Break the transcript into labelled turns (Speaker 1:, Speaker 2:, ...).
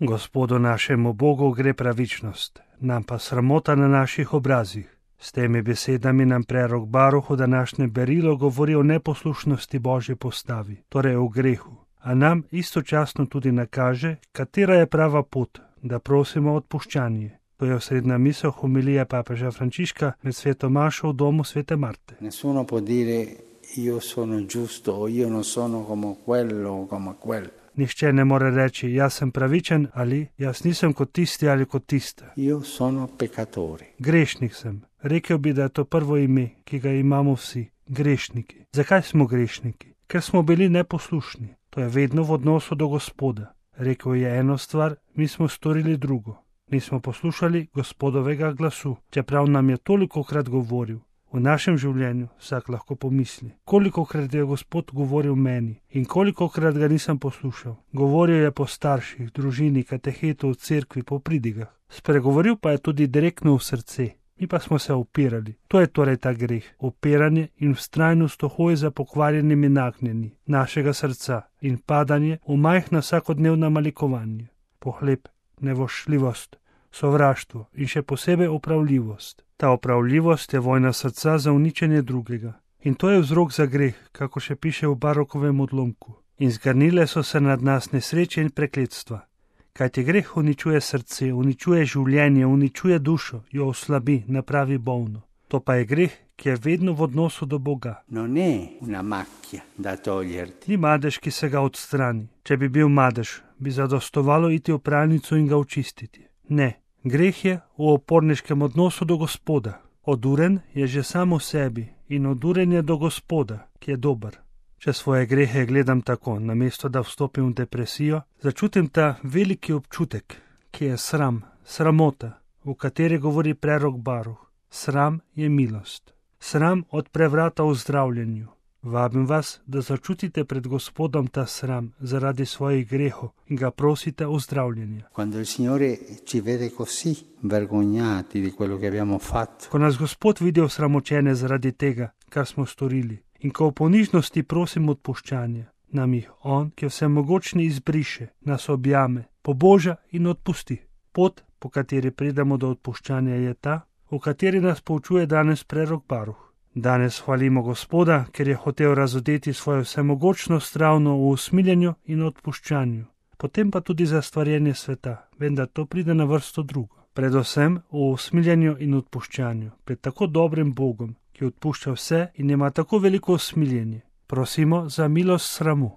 Speaker 1: Gospodu našemu Bogu gre pravičnost, nam pa sramota na naših obrazih. S temi besedami nam prerok Baruh v današnjem berilo govori o neposlušnosti Božje postavi, torej o grehu, a nam istočasno tudi nakaže, katera je prava pot, da prosimo odpuščanje. To je osrednja misel homilije papeža Frančiška med sveto mašo v domu svete Marte.
Speaker 2: Nessuno può dire io sono giusto o io non sono come quello o come quella.
Speaker 1: Nihče ne more reči, jaz sem pravičen ali jaz nisem kot tisti ali kot tista.
Speaker 2: Io sono peccatore.
Speaker 1: Grešnik sem. Rekel bi, da je to prvo ime, ki ga imamo vsi. Grešniki. Zakaj smo grešniki? Ker smo bili neposlušni. To je vedno v odnosu do Gospoda. Rekel je eno stvar, mi smo storili drugo. Nismo poslušali Gospodovega glasu, čeprav nam je tolikokrat govoril. V našem življenju vsak lahko pomisli, kolikokrat je Gospod govoril meni in kolikokrat ga nisem poslušal. Govoril je po starših, družini, katehetu, v cerkvi, po pridigah. Spregovoril pa je tudi direktno v srce. Mi pa smo se upirali. To je torej ta greh, upiranje in vztrajnost v hoji za pokvarjenimi nagnjenji našega srca in padanje v majhna vsakodnevna malikovanja. Pohlep, nevošljivost, sovraštvo in še posebej opravljivost. Ta opravljivost je vojna srca za uničenje drugega. In to je vzrok za greh, kako še piše v Barokovem odlomku. In zgrnile so se nad nas nesreče in prekletstva. Kajti greh uničuje srce, uničuje življenje, uničuje dušo, jo oslabi, napravi bolno. To pa je greh, ki je vedno v odnosu do Boga.
Speaker 2: Non è una macchia da toglierti.
Speaker 1: Ni madež, ki se ga odstrani. Če bi bil madež, bi zadostovalo iti v pralnico in ga očistiti. Ne, greh je v oporniškem odnosu do Gospoda. Oduren je že samo sebi in oduren je do Gospoda, ki je dober. Če svoje grehe gledam tako, namesto da vstopim v depresijo, začutim ta veliki občutek, ki je sram, sramota, v kateri govori prerok Baruh. Sram je milost. Sram odpre vrata v zdravljenju. Vabim vas, da začutite pred Gospodom ta sram zaradi svojih grehov in ga prosite o zdravljenje.
Speaker 2: Quando il Signore ci vede così vergognati di quello che abbiamo fatto.
Speaker 1: Ko nas Gospod vidi osramočene zaradi tega, kar smo storili, in ko v ponižnosti prosim odpuščanje, nam jih On, ki je vsemogočni, izbriše, nas objame, poboža in odpusti. Pot, po kateri pridemo do odpuščanja, je ta, v kateri nas poučuje danes prerok Baruh. Danes hvalimo Gospoda, ker je hotel razodeti svojo vsemogočnost ravno v usmiljenju in odpuščanju. Potem pa tudi za stvarjenje sveta, vendar to pride na vrsto drugo. Predvsem v usmiljenju in odpuščanju, pred tako dobrim Bogom, ki odpušča vse in ima tako veliko usmiljenje. Prosimo za milost sramu.